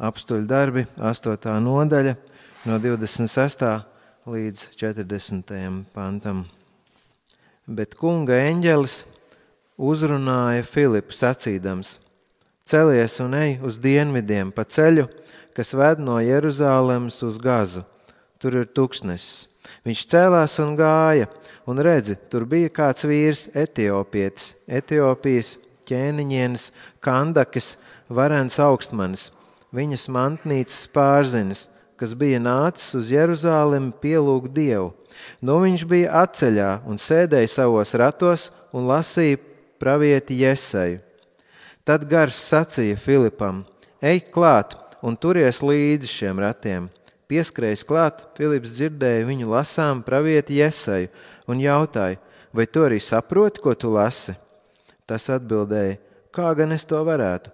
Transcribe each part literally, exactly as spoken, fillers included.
Apstuļu darbi, astotā nodaļa, no divdesmit sestā līdz četrdesmitajam pantam. Bet kunga eņģelis uzrunāja Filipu sacīdams: celies un ej uz dienvidiem pa ceļu, kas ved no Jeruzālemes uz Gazu. Tur ir tuksnesis. Viņš cēlās un gāja, un redzi, tur bija kāds vīrs, etiopietis, Etiopijas ķēniņienes, Kandakes, varens augstmanis, viņas mantnīcas pārzinis, kas bija nācis uz Jeruzālemi pielūgt Dievu. Nu viņš bija atceļā un sēdēja savos ratos un lasīja pravieti Jeseju. Tad gars sacīja Filipam: ej klāt un turies līdzi šiem ratiem. Pieskrējis klāt, Filips dzirdēja viņu lasām pravieti Jeseju un jautāja: vai tu arī saproti, ko tu lasi? Tas atbildēja: kā gan es to varētu,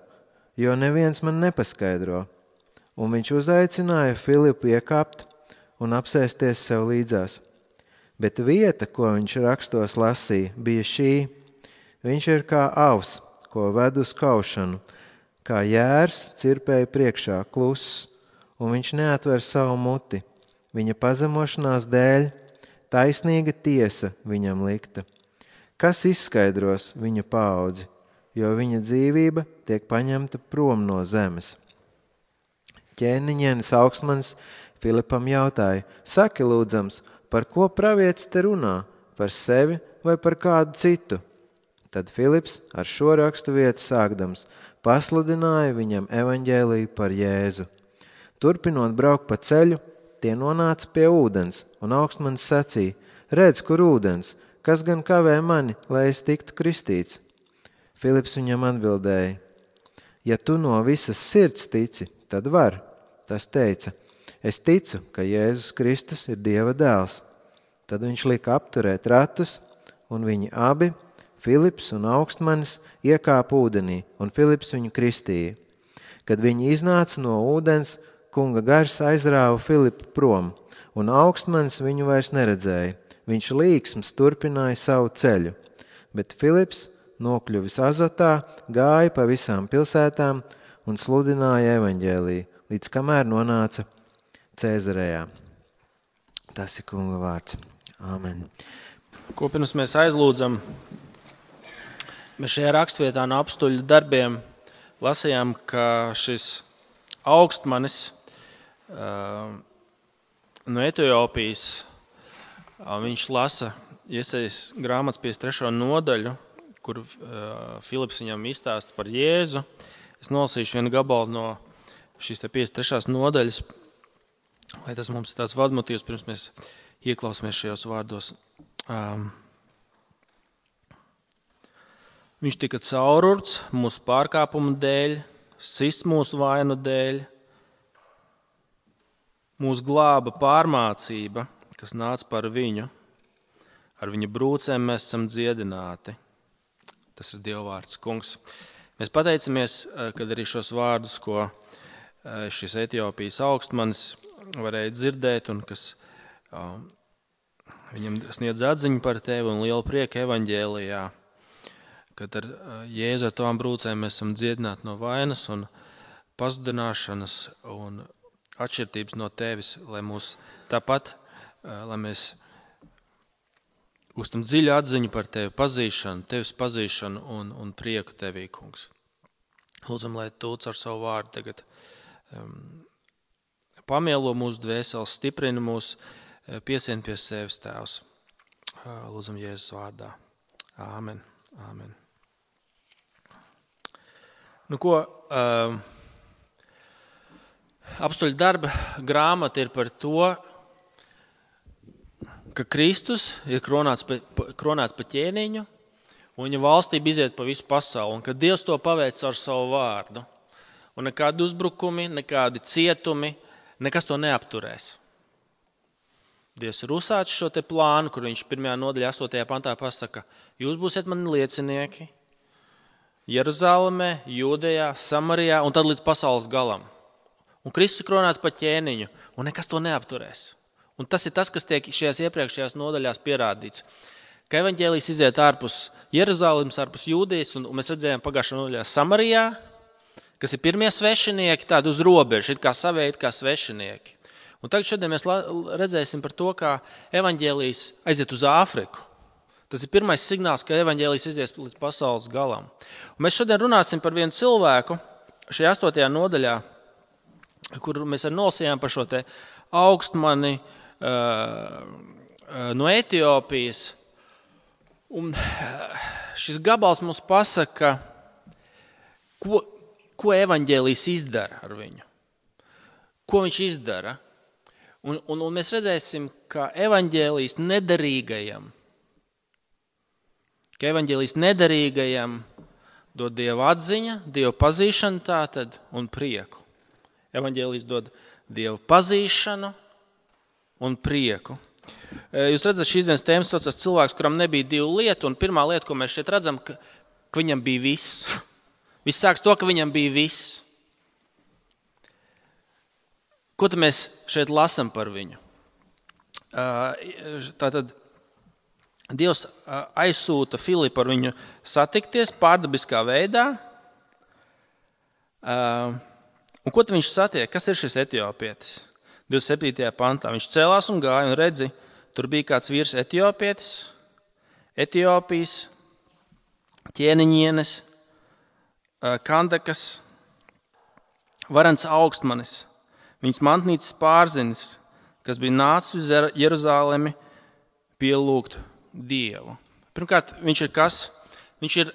jo neviens man nepaskaidro. Un viņš uzaicināja Filipu iekāpt un apsēsties sev līdzās. Bet vieta, ko viņš rakstos lasīja, bija šī: viņš ir kā avs, ko ved uz kaušanu, kā jērs cirpēja priekšā kluss, un viņš neatver savu muti. Viņa pazemošanās dēļ taisnīga tiesa viņam likta. Kas izskaidros viņa paudzi, jo viņa dzīvība tiek paņemta prom no zemes? Ķēniņienes augstmanis Filipam jautāja: saki lūdzams, par ko pravietis te runā, par sevi vai par kādu citu? Tad Filips ar šo rakstu vietu sākdams pasludināja viņam evaņģēliju par Jēzu. Turpinot braukt pa ceļu, tie nonāca pie ūdens, un augstmanis sacīja: redz, kur ūdens, kas gan kavē mani, lai es tiktu kristīts? Filips viņam atbildēja: ja tu no visas sirds tici, tad var. Tas teica: es ticu, ka Jēzus Kristus ir Dieva dēls. Tad viņš lika apturēt ratus, un viņi abi, Filips un augstmanis, iekāpa ūdenī, un Filips viņu kristīja. Kad viņi iznāca no ūdens, kunga gars aizrāva Filipu prom, un augstmanis viņu vairs neredzēja. Viņš līksms turpināja savu ceļu, bet Filips, nokļuvis Azotā, gāja pa visām pilsētām un sludināja evaņģēliju, līdz kamēr nonāca Cēzarejā. Tas ir kunga vārds. Āmen. Ko pirms mēs aizlūdzam, mēs šajā rakstvietā no apstuļu darbiem lasījām, ka šis augstmanis uh, no Etiopijas, uh, viņš lasa Jesejas grāmatas piecdesmit trešo nodaļu, kur uh, Filips viņam izstāsta par Jēzu. Es nolasīšu vienu gabalu no šīs piecdesmit trešās nodaļas, lai tas mums ir tāds vadmotīvs, pirms mēs ieklausāmies šajos vārdos. Um, viņš tika caururts mūsu pārkāpumu dēļ, sists mūsu vainu dēļ, mūsu glāba pārmācība, kas nāca par viņu, ar viņa brūcēm mēs esam dziedināti. Tas ir Dieva vārds, kungs. Mēs pateicamies, kad arī šos vārdus, ko šis Etiopijas augstmanis varēja dzirdēt un kas um, viņam sniedz atziņu par tevi un lielu prieku evaņģēlijā, kad ar Jēzu ar tavām brūcēm mēs esam dziedināti no vainas un pazudināšanas un atšķirtības no tevis, lai mūs tāpat, lai mēs gūstam dziļu atziņu par tevi, pazīšanu, tevis pazīšanu un, un prieku tevī, kungs. Lūdzam, lai tu ar savu vārdu tagad um, pamielo mūsu dvēseles, stiprina mūs, piesien pie sevis, Tēvs. Lūdzam Jēzus vārdā. Āmen. Āmen. Nu ko, um, apstuļu darba grāmata ir par to, ka Kristus ir kronāts pa, kronāts pa ķēniņu, un viņa valstība iziet pa visu pasauli, un ka Dievs to paveic ar savu vārdu. Un nekādi uzbrukumi, nekādi cietumi, nekas to neapturēs. Dievs ir uzsācis šo te plānu, kur viņš pirmajā nodaļā astotajā pantā pasaka: jūs būsiet mani liecinieki Jeruzālemē, Jūdejā, Samarijā un tad līdz pasaules galam. Un Kristus ir kronāts pa ķēniņu, un nekas to neapturēs. Un tas ir tas, kas tiek šajās iepriekšējās nodaļās pierādīts. Ka evaņģēlijs iziet ārpus Jeruzālemes, ārpus Jūdejas, un, un mēs redzējām pagājušajā nodaļā Samarijā, kas ir pirmie svešinieki, tādi uz robežas, it kā savēji, it kā svešinieki. Un tagad šodien mēs redzēsim par to, kā evaņģēlijs aiziet uz Āfriku. Tas ir pirmais signāls, ka evaņģēlijs izies līdz pasaules galam. Un mēs šodien runāsim par vienu cilvēku šajā astotajā nodaļā, kur mēs arī nolasījām par šo te augstmani uh, no Etiopijas. Un šis gabals mums pasaka, ko, ko evaņģēlijs izdara ar viņu. Ko viņš izdara? Un, un, un mēs redzēsim, ka evaņģēlijs nederīgajam, ka evaņģēlijs nederīgajam dod Dieva atziņa, Dieva pazīšana tātad un prieku. Evaņģēlijs dod Dieva pazīšanu un prieku. Jūs redzat, šīs dienas tēmas saucas cilvēks, kuram nebija divu lietu, un pirmā lieta, ko mēs šeit redzam, ka, ka viņam bija viss. Viss sāks to, ka viņam bija viss. Ko tad mēs šeit lasam par viņu? Tātad Dievs aizsūta Filipu ar viņu satikties pārdabiskā veidā. Un ko tad viņš satiek? Kas ir šis etiopietis? divdesmit septītajā pantā viņš cēlās un gāja, un redzi, tur bija kāds vīrs etiopietis, Etiopijas, ķēniņienes, Kandakas, varens augstmanis. Viņas mantnīcas pārzinis, kas bija nācis uz Jeruzalemi pielūgt Dievu. Pirmkārt, viņš ir kas? Viņš ir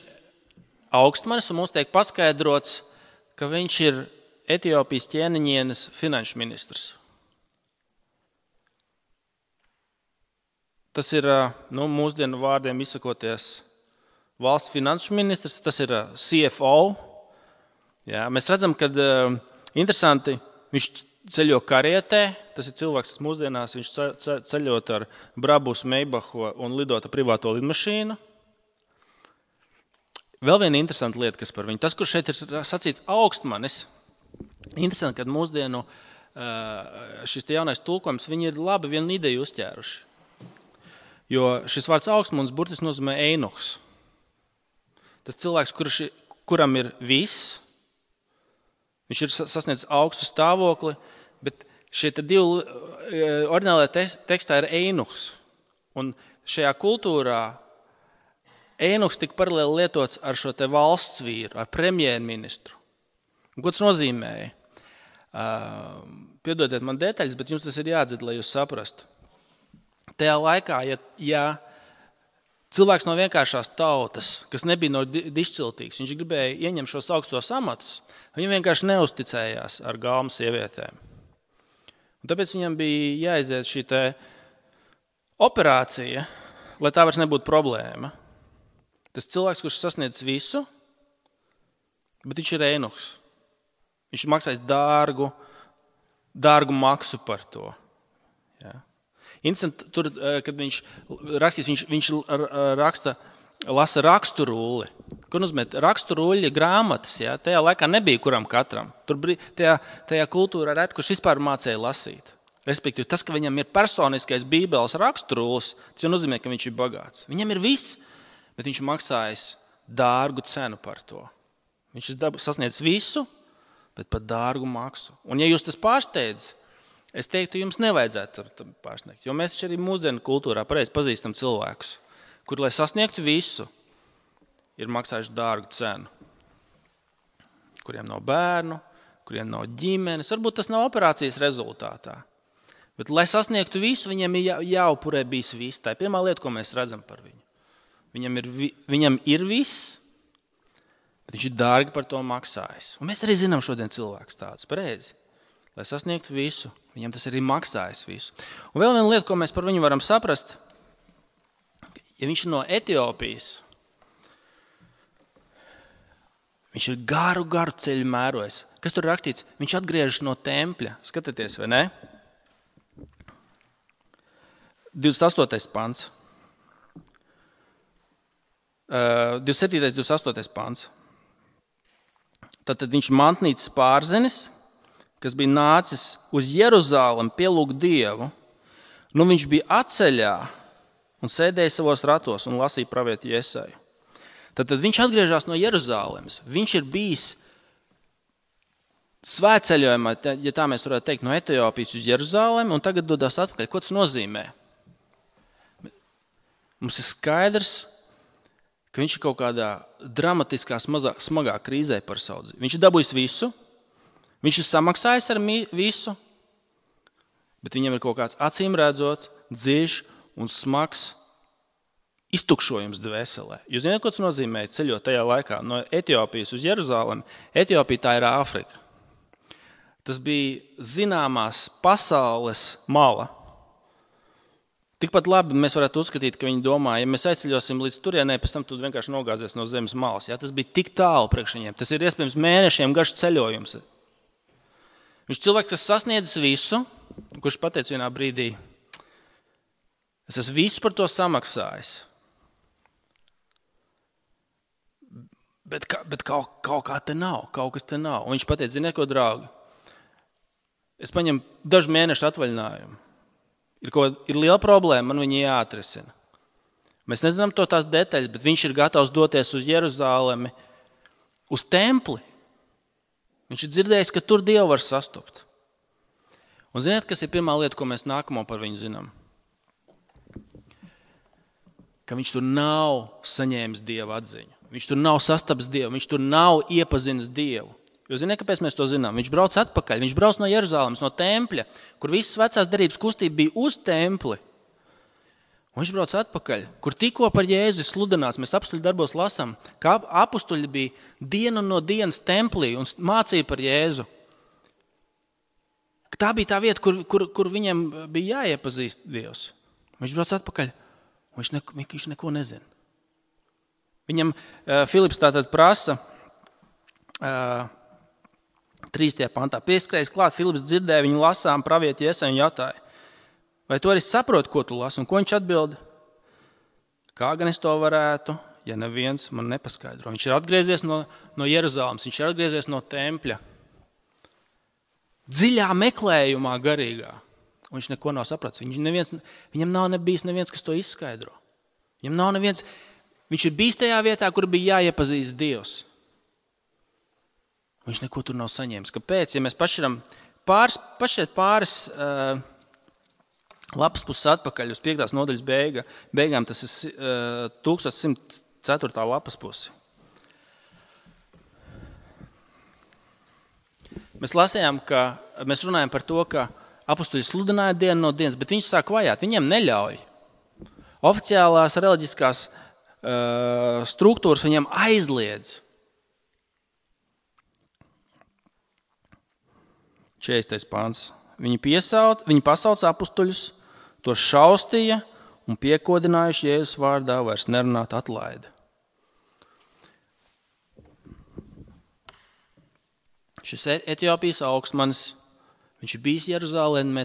augstmanis, un mums tiek paskaidrots, ka viņš ir Etiopijas ķēniņienes finanšu ministrs. Tas ir, nu, mūsdienu vārdiem izsakoties, valsts finanšu ministrs, tas ir C F O. Jā, mēs redzam, ka interesanti, viņš ceļo karietē, tas ir cilvēks, kas mūsdienās viņš ceļot ar Brabus, Meibahu un lidot ar privāto lidmašīnu. Vēl viena interesanta lieta, kas par viņu. Tas, kur šeit ir sacīts augstmanis, interesanti, ka mūsdienu šis te jaunais tulkojums, viņi ir labi vienu ideju uzķēruši. Jo šis vārds augstmanis burtiski nozīmē einuhs. Tas cilvēks, kurš, kuram ir viss, viņš ir sasniedzis augstu stāvokli, bet šie divi oriģinālajā tekstā ir einuhs. Un šajā kultūrā einuhs tika paralēli lietots ar šo te valsts vīru, ar premjerministru. Un ko tas nozīmēja? Uh, piedodiet man detaļas, bet jums tas ir jādzird, lai jūs saprastu. Tajā laikā, ja, ja cilvēks no vienkāršās tautas, kas nebija no dišciltīgs, viņš gribēja ieņemt šos augstos amatus, viņam vienkārši neusticējās ar galmu sievietēm. Un tāpēc viņam bija jāiziet šī te operācija, lai tā vairs nebūtu problēma. Tas cilvēks, kurš sasniedz visu, bet viņš ir einuhs. Viņš ir maksājis dārgu, dārgu maksu par to. Ja. Interesanti, tur, kad viņš rakstīs, viņš, viņš raksta, lasa raksturulli. Ko nozīmē? Raksturulli grāmatas, ja? Tajā laikā nebija kuram katram. Tur bija tajā, tajā kultūrā reti, kurš vispār mācēja lasīt. Respektīvi, tas, ka viņam ir personiskais bībeles raksturullis, tas jau nozīmē, ka viņš ir bagāts. Viņam ir viss, bet viņš maksājis dārgu cenu par to. Viņš ir sasniedzis visu, bet par dārgu maksu. Un ja jūs tas pārsteidz, es teiktu, jums nevajadzētu tam pārsniegt, jo mēs arī mūsdienu kultūrā pareizi pazīstam cilvēkus, kuri, lai sasniegtu visu, ir maksājuši dārgu cenu. Kuriem nav bērnu, kuriem nav ģimenes, varbūt tas nav operācijas rezultātā. Bet, lai sasniegtu visu, viņam ir jā, jāupurē bijis viss. Tā ir pirmā lieta, ko mēs redzam par viņu. Viņam ir, viņam ir viss, bet viņš ir dārgi par to maksājis. Un mēs arī zinām šodien cilvēkus tādus, pareizi. Lai sasniegtu visu, viņam tas arī maksājas visu. Un vēl viena lieta, ko mēs par viņu varam saprast, ja viņš ir no Etiopijas, viņš ir garu, garu ceļu mērojis. Kas tur rakstīts? Viņš atgriežas no tempļa. Skatieties, vai ne? divdesmit astotais pants. Uh, divdesmit septītais, divdesmit astotais pants. Tātad viņš ir mantnīcas pārzinis, kas bija nācis uz Jeruzalemi pielūgt Dievu. Nu, viņš bija atceļā un sēdēja savos ratos un lasīja pravietu Jesaju. Tad viņš atgriežas no Jeruzalemes. Viņš ir bijis svētceļojumā, ja tā mēs varētu teikt, no Etiopijas uz Jeruzalemi un tagad dodas atpakaļ. Ko tas nozīmē? Mums ir skaidrs, ka viņš ir kaut kādā dramatiskā, smazā, smagā krīzē par savu dzīvi. Viņš ir dabūjis visu, viņš ir samaksājis ar visu, bet viņam ir kaut kāds acīm redzot, dziļš un smags iztukšojums dvēselē. Jūs zināt, ko tas nozīmē ceļot tajā laikā no Etiopijas uz Jeruzalemi? Etiopija tā ir Āfrika. Tas bija zināmās pasaules mala. Tikpat labi mēs varētu uzskatīt, ka viņi domā, ja mēs aizceļosim līdz turienei, pēc tam tu vienkārši nogāzies no zemes malas. Jā, tas bija tik tālu priekš viņiem. Tas ir iespējams mēnešiem garš ceļojums. Viņš ir cilvēks, kas sasniedzis visu, kurš pateica vienā brīdī, es esmu visu par to samaksājis. Bet, bet kaut, kaut kā te nav, kaut kas te nav. Un viņš pateica, ziniet, ko, draugi, es paņemu dažu mēnešu atvaļinājumu. Ir, ko, ir liela problēma, man viņi jāatrisina. Mēs nezinām to tās detaļas, bet viņš ir gatavs doties uz Jeruzalemi, uz templi. Viņš ir dzirdējis, ka tur Dievu var sastopt. Un ziniet, kas ir pirmā lieta, ko mēs nākamo par viņu zinām? Ka viņš tur nav saņēmis Dieva atziņu. Viņš tur nav sastaps Dievu, viņš tur nav iepazinis Dievu. Jo ziniet, kāpēc mēs to zinām? Viņš brauc atpakaļ, viņš brauc no Jeruzalemes, no tempļa, kur visas vecās derības kustība bija uz templi. Un viņš brauc atpakaļ, kur tikko par Jēzu sludinās, mēs apstuļu darbos lasām, ka apustuļi bija dienu no dienas templī un mācīja par Jēzu. Tā bija tā vieta, kur, kur, kur viņiem bija jāiepazīst Dievs. Viņš brauc atpakaļ, un viņš, ne, viņš neko nezina. Viņam uh, Filips tātad prasa, uh, trīstajā pantā, pieskrējis klāt, Filips dzirdēja viņu lasām pravieti Jesaja un jautāja, vai tu arī saproti, ko tu lasi? Un ko viņš atbild? Kā gan es to varētu, ja neviens man nepaskaidro? Viņš ir atgriezies no, no Jeruzalemes, viņš ir atgriezies no tempļa. Dziļā meklējumā garīgā. Un viņš neko nav sapratis. Viņš neviens, viņam nav nebijis neviens, kas to izskaidro. Viņam nav neviens, viņš ir bijis tajā vietā, kur bija jāiepazīst Dievs. Viņš neko tur nav saņēmis. Kāpēc? Ja mēs pašķiram pāris, pašķiet pāris uh, lapas puses atpakaļ uz piektās nodaļas beiga, beigām, tas ir uh, tūkstoš simt ceturtā lapas pusi. Mēs lasījām, ka mēs runājam par to, ka apustuļi sludināja dienu no dienas, bet viņš sāk vajāt, viņiem neļauj. Oficiālās reliģiskās uh, struktūras viņiem aizliedz. četrdesmitais pāns. Viņi, piesauc, viņi pasauca apustuļus, to šaustīja un piekodinājuši Jēzus vārdā vairs nerunāt atlaida. Šis Etiopijas augstmanis, viņš ir bijis Jeruzalemē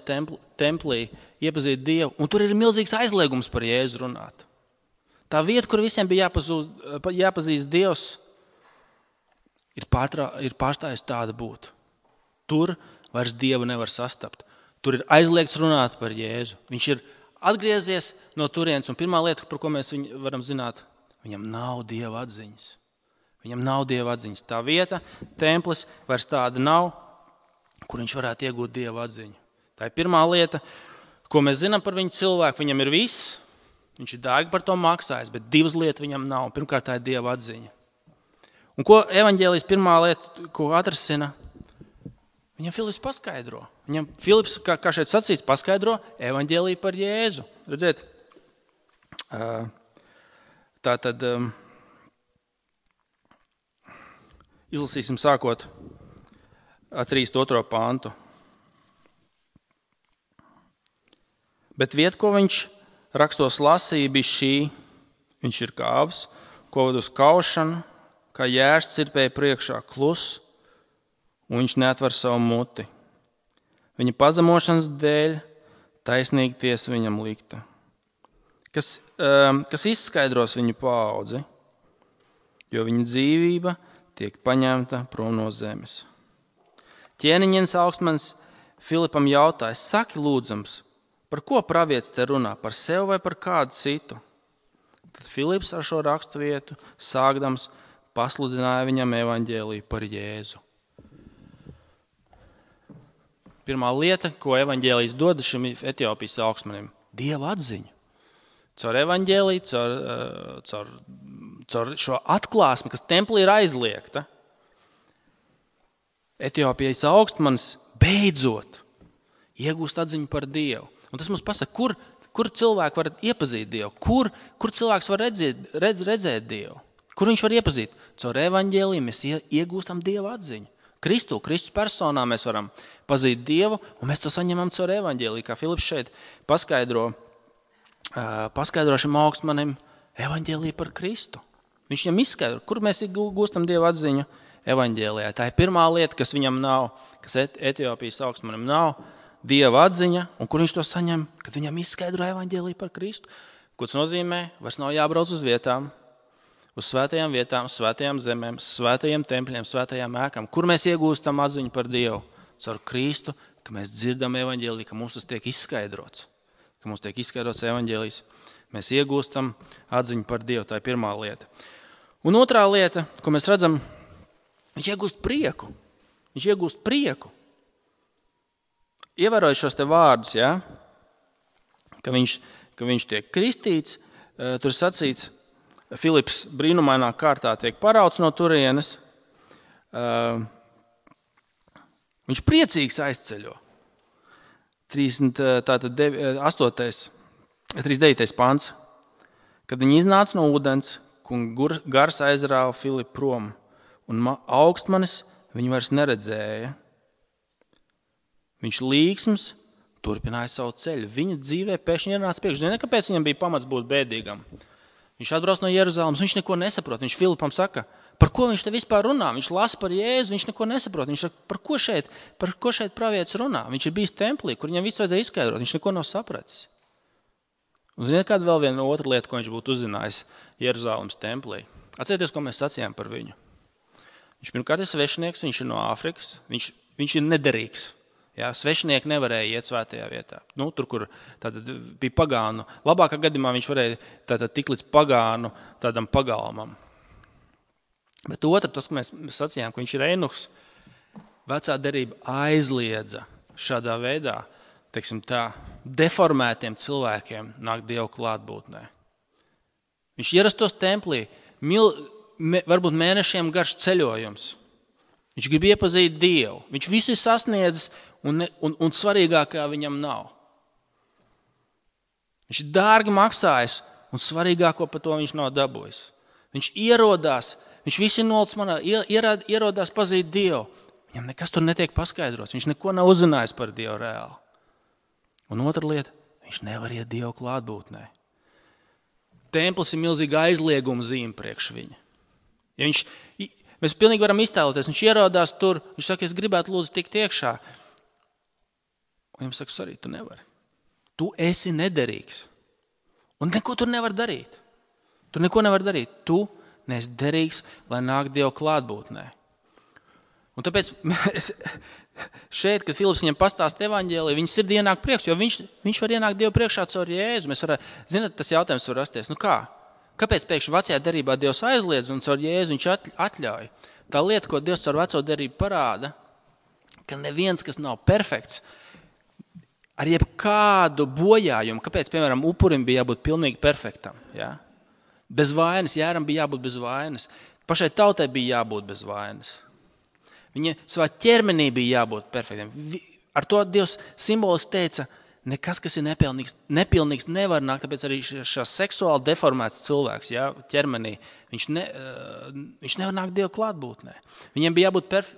templī, iepazīt Dievu, un tur ir milzīgs aizliegums par Jēzu runāt. Tā vieta, kur visiem bija jāpazūst, jāpazīst Dievs, ir, pārtrā, ir pārstājis tāda būt. Tur vairs Dievu nevar sastapt. Tur ir aizliegts runāt par Jēzu. Viņš ir atgriezies no turienes, un pirmā lieta, par ko mēs viņu varam zināt, viņam nav Dieva atziņas. Viņam nav Dieva atziņas. Tā vieta, templis, vairs tāda nav, kur viņš varētu iegūt Dieva atziņu. Tā ir pirmā lieta, ko mēs zinām par viņu cilvēku. Viņam ir viss, viņš ir dārgi par to maksājis, bet divas lietas viņam nav. Pirmkārt, tā ir Dieva atziņa. Un ko evaņģēlijas pirmā lieta, ko atrasina? Viņam Filips paskaidro. Viņam Filips, kā, kā šeit sacīts, paskaidro evaņģēliju par Jēzu. Redziet, tā tad izlasīsim sākot ar trīsdesmit otro pāntu. Bet vieta, ko viņš rakstos lasīja, bija šī. Viņš ir kāvs, ko ved uz kaušanu, kā jērs cirpēja priekšā klus, un viņš neatver savu muti. Viņa pazemošanas dēļ taisnīgi tiesa viņam likta. Kas, um, kas izskaidros viņu paudzi, jo viņa dzīvība tiek paņemta prom no zemes. Ķēniņienes augstmanis Filipam jautāja, saki lūdzams, par ko pravietis te runā, par sevi vai par kādu citu? Tad Filips ar šo rakstu vietu sākdams pasludināja viņam evaņģēliju par Jēzu. Pirmā lieta, ko evaņģēlijs dod šim Etiopijas augstmanim – Dieva atziņu. Caur evaņģēliju, caur, caur, caur šo atklāsmi, kas templī ir aizliegta, Etiopijas augstmanis beidzot iegūst atziņu par Dievu. Un tas mums pasaka, kur, kur cilvēki var iepazīt Dievu, kur, kur cilvēks var redzēt, redz, redzēt Dievu, kur viņš var iepazīt. Caur evaņģēliju mēs iegūstam Dieva atziņu. Kristu, Kristus personā mēs varam pazīt Dievu, un mēs to saņemam caur evaņģēliju, kā Filips šeit paskaidro, paskaidro šim augstmanim evaņģēliju par Kristu. Viņš viņam izskaidro, kur mēs gūstam Dieva atziņu evaņģēlijā. Tā ir pirmā lieta, kas viņam nav, kas Etiopijas augstmanim nav, Dieva atziņa, un kur viņš to saņem, kad viņam izskaidro evaņģēliju par Kristu. Ko tas nozīmē? Vairs nav jābrauc uz vietām, uz svētajām vietām, svētajām zemēm, svētajiem tempļiem, svētajām ēkām. Kur mēs iegūstam atziņu par Dievu? Caur Kristu, ka mēs dzirdam evaņģēliju, ka mums tas tiek izskaidrots. Ka mums tiek izskaidrots evaņģēlijs. Mēs iegūstam atziņu par Dievu. Tā ir pirmā lieta. Un otrā lieta, ko mēs redzam, viņš iegūst prieku. Viņš iegūst prieku. Ievērojot šos te vārdus, ja? ka, viņš, ka viņš tiek kristīts, tur ir sacīts, Filips brīnumainā kārtā tiek parauts no turienes. Uh, viņš priecīgs aizceļo. trīsdesmit deviņais pants. Kad viņi iznāca no ūdens, gars aizrāva Filipu prom, un augstmanis viņu vairs neredzēja. Viņš līksms turpināja savu ceļu. Viņa dzīvē pēkšņi ienāca priekš. Zini, kāpēc viņam bija pamats būt bēdīgam? Viņš atbrauc no Jeruzalemes, viņš neko nesaprot. Viņš Filipam saka, par ko viņš te vispār runā? Viņš lasa par Jēzu, viņš neko nesaprot. Viņš saka, par ko šeit, par ko šeit pravietis runā? Viņš ir bijis templī, kur viņam visu vajadzēja izskaidrot. Viņš neko nav sapratis. Un ziniet, kāda vēl viena otra lieta, ko viņš būtu uzzinājis Jeruzalemes templī? Atcerieties, ko mēs sacījām par viņu. Viņš pirmkārt ir svešinieks, viņš ir no Āfrikas, viņš, viņš ir nederīgs. Jā, svešinieki nevarēja iet svētajā vietā. Nu, tur, kur tātad bija pagānu. Labākā gadījumā viņš varēja tātad tik līdz pagānu tādam pagalmam. Bet otra, tas, ko mēs sacījām, ka viņš ir einuhs, vecā derība aizliedza šādā veidā, teiksim tā, deformētiem cilvēkiem nāk Dievu klātbūtnē. Viņš ierastos templī, mil, me, varbūt mēnešiem garš ceļojums. Viņš grib iepazīt Dievu. Viņš visu ir sasniedzis, Un, un, un svarīgākā viņam nav. Viņš ir dārgi maksājis, un svarīgāko par to viņš nav dabūjis. Viņš ierodās, viņš visi nolicis manā, ierod, ierodās pazīt Dievu. Viņam nekas tur netiek paskaidrots, viņš neko nav uzzinājis par Dievu reāli. Un otra lieta, viņš nevar iet Dievu klātbūtnē. Templis ir milzīga aizlieguma zīme priekš viņa. Ja viņš, mēs pilnīgi varam iztēloties, viņš ierodās tur, viņš saka, es gribētu lūdzu tikt iekšā. Un viņam saka, sorry, tu nevari. Tu esi nederīgs. Un neko tur nevar darīt. Tu neko nevar darīt. Tu neesi derīgs, lai nāk Dievu klātbūtnē. Un tāpēc es, šeit, kad Filips viņam pastāst evaņģēliju, viņa sirdī ienāk prieks, jo viņš, viņš var ienākt Dievu priekšā caur Jēzu. Mēs varam, zināt, tas jautājums var rasties. Nu kā? Kāpēc pēkšņi vecajā derībā Dievs aizliedz un caur Jēzu viņš atļauj? Tā lieta, ko Dievs caur veco derību parāda, ka neviens, kas nav perfekts, ar jebkādu bojājumu, kāpēc, piemēram, upurim bija jābūt pilnīgi perfektam, ja? Bez vainas, Jāram bija jābūt bez vainas, pašai tautai bija jābūt bez vainas. Viņa savā ķermenī bija jābūt perfektam. Ar to Dievs simboliski teica, nekas, kas ir nepilnīgs, nepilnīgs nevar nākt, tāpēc arī šās seksuāli deformēts cilvēks, ja, ķermenī, viņš, ne, viņš nevar nākt Dievu klātbūtnē. Viņiem bija jābūt perf,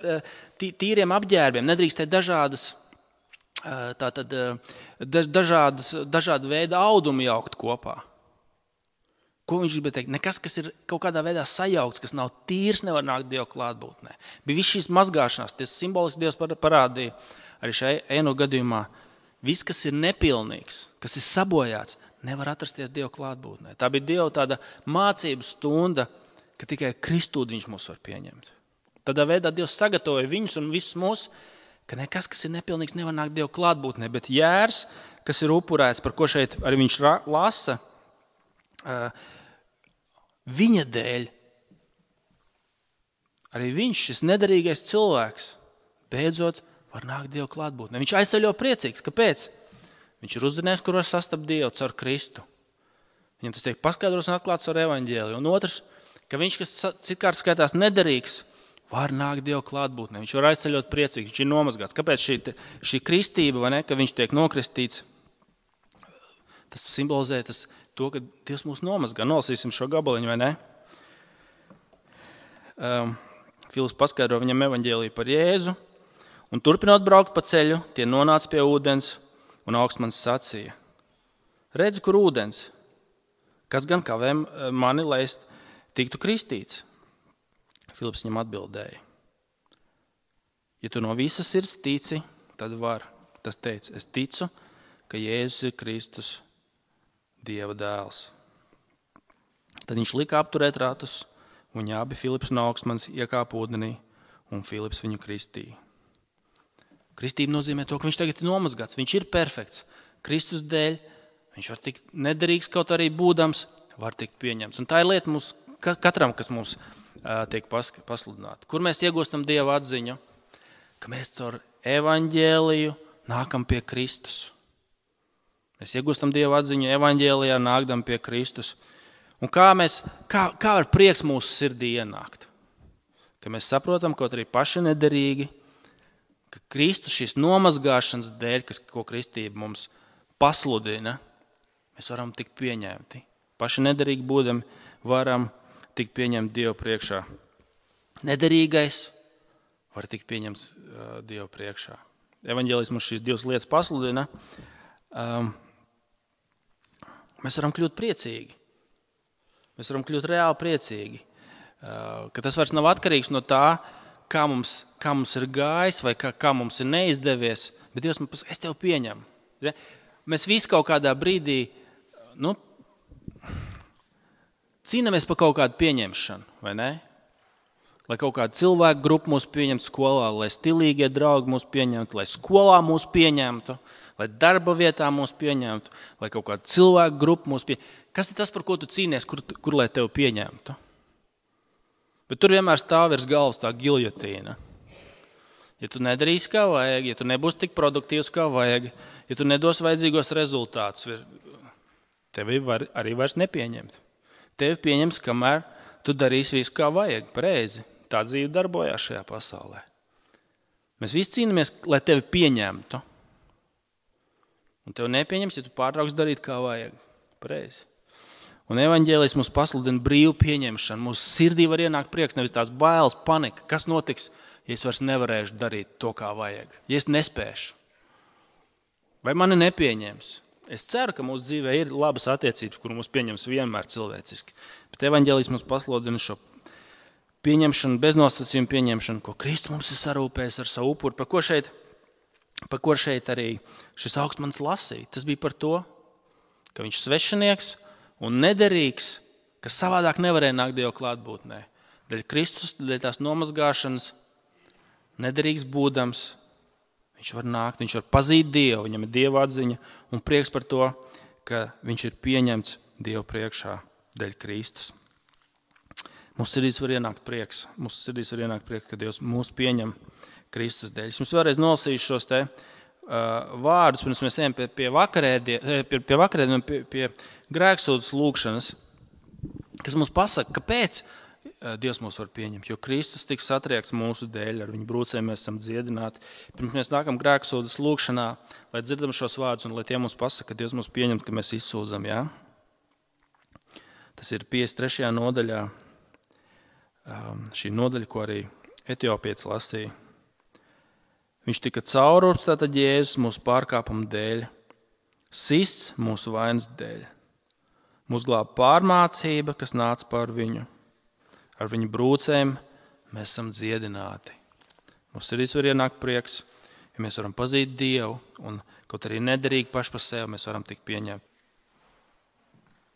tīriem apģērbiem, nedrīkstēt dažādas Tātad dažādas, dažāda veida audumi jaukt kopā. Ko viņš gribēja teikt? Nekas, kas ir kaut kādā veidā sajaukts, kas nav tīrs, nevar nākt Dievu klātbūtnē. Bija viss šīs mazgāšanās, tas simboliski Dievs parādīja arī šajā ēno gadījumā. Viss, kas ir nepilnīgs, kas ir sabojāts, nevar atrasties Dievu klātbūtnē. Tā bija Dieva tāda mācību stunda, ka tikai Kristū viņš mūs var pieņemt. Tādā veidā Dievs sagatavoja viņus un visus mūs, ka nekas, kas ir nepilnīgs, nevar nākt Dievu klātbūtnē, bet jērs, kas ir upurēts, par ko šeit arī viņš lasa, viņa dēļ, arī viņš, šis nederīgais cilvēks, beidzot var nākt Dieva klātbūtnē. Viņš aizceļo priecīgs. Kāpēc? Viņš ir uzzinājis, kur var sastapt Dievu caur Kristu. Viņam tas tiek paskaidrots un atklāts ar evaņģēliju. Un otrs, ka viņš, kas citkārt skaitās nederīgs, var nākt Dieva klātbūtnē. Viņš var aizceļot priecīgs, viņš ir nomazgāts. Kāpēc šī, šī kristība, vai ne, ka viņš tiek nokristīts? Tas simbolizē tas, to, ka Dievs mūs nomazgā. Nolasīsim šo gabaliņu, vai ne? Um, Filips paskaidro viņam evaņģēliju par Jēzu. Un turpinot braukt pa ceļu, tie nonāca pie ūdens, un augstmanis sacīja: redzi, kur ūdens, kas gan kavē mani, lai es tiktu kristīts? Filips viņam atbildēja: ja tu no visas sirds tici, tad var. Tas teica: es ticu, ka Jēzus ir Kristus, Dieva dēls. Tad viņš lika apturēt ratus, un viņi abi, Filips un augstmanis, iekāpa ūdenī, un Filips viņu kristīja. Kristība nozīmē to, ka viņš tagad ir nomazgāts, viņš ir perfekts. Kristus dēļ viņš var tikt nederīgs, kaut arī būdams, var tikt pieņemts. Un tā ir lieta mums, katram, kas mums uh, tiek pasludināta. Kur mēs iegūstam Dieva atziņu? Ka mēs caur evaņģēliju nākam pie Kristus. Mēs iegūstam Dieva atziņu evaņģēlijā, nākdam pie Kristus. Un kā, mēs, kā, kā var prieks mūsu sirdī ienākt? Ka mēs saprotam, kaut arī paši nederīgi, ka Kristus šīs nomazgāšanas dēļ, kas, ko kristība mums pasludina, mēs varam tikt pieņemti. Paši nederīgi būdami varam tikt pieņemti Dievu priekšā. Nederīgais var tikt pieņemts uh, Dievu priekšā. Evaņģēlijs mums šīs divas lietas pasludina. Um, mēs varam kļūt priecīgi. Mēs varam kļūt reāli priecīgi. Uh, ka tas vairs nav atkarīgs no tā, kā mums, kā mums ir gājis vai kā, kā mums ir neizdevies, bet Dievs man pasaka, es tev pieņemu. Ja? Mēs visi kaut kādā brīdī nu, cīnāmies par kaut kādu pieņemšanu, vai ne? Lai kaut kāda cilvēku grupa mūs pieņemtu skolā, lai stilīgie draugi mūs pieņemtu, lai skolā mūs pieņemtu, lai darba vietā mūs pieņemtu, lai kaut kāda cilvēku grupa mūs pieņemtu. Kas ir tas, par ko tu cīnies, kur, kur lai tev pieņemtu? Bet tur vienmēr stāv virs galvas tā giljotīna. Ja tu nedarīsi kā vajag, ja tu nebūsi tik produktīvs kā vajag, ja tu nedos vajadzīgos rezultātus, tevi var, arī vairs nepieņemt. Tevi pieņems, kamēr tu darīsi visu kā vajag, pareizi. Tā dzīve darbojās šajā pasaulē. Mēs visi cīnāmies, lai tevi pieņemtu. Un tevi nepieņems, ja tu pārtrauks darīt kā vajag, pareizi. Un evaņģēlijs mums pasludina brīvu pieņemšanu. Mūsu sirdī var ienākt prieks, nevis tās bailes, panika. Kas notiks, ja es vairs nevarēšu darīt to, kā vajag? Ja es nespēšu? Vai mani nepieņems? Es ceru, ka mūsu dzīvē ir labas attiecības, kur mūs pieņems vienmēr cilvēciski. Bet evaņģēlijs mums pasludina šo pieņemšanu, beznosacījumu pieņemšanu, ko Kristus mums ir sarūpējis ar savu upuri. Par ko šeit, par ko šeit arī šis augstmanis lasīja? Tas bija par to, ka viņš svešinieks un nederīgs, kas savādāk nevarēja nākt Dieva klātbūtnē. Dēļ Kristus, dēļ tās nomazgāšanas, nederīgs būdams, viņš var nākt, viņš var pazīt Dievu, viņam ir Dieva atziņa un prieks par to, ka viņš ir pieņemts Dievu priekšā dēļ Kristus. Mūsu sirdīs var ienākt prieks, mūsu sirdīs var ienākt prieks, ka Dievs mūs pieņem Kristus dēļ. Es jums vēlreiz nolasīšu šos te Uh, vārdus, pirms mēs ejam pie, pie vakarēdieniem, pie, pie, vakarēdien, pie, pie grēksūdzes lūkšanas, kas mums pasaka, kāpēc uh, Dievs mūs var pieņemt, jo Kristus tika satriekts mūsu dēļ, ar viņu brūcēm mēs esam dziedināti. Pirms mēs nākam grēksūdzes lūkšanā, lai dzirdam šos vārdus un lai tie mums pasaka, ka Dievs mūs pieņemt, ka mēs izsūdzam, jā? Tas ir piecdesmit trešajā nodaļā, um, šī nodaļa, ko arī etiopietis lasīja. Viņš tika caururps, tātad Jēzus mūsu pārkāpumu dēļ, sists mūsu vainas dēļ. Mūs glāba pārmācība, kas nāca pār viņu. Ar viņu brūcēm mēs esam dziedināti. Mums sirdīs var ienākt prieks, ja mēs varam pazīt Dievu, un kaut arī nederīgi paši par sevi mēs varam tikt pieņemt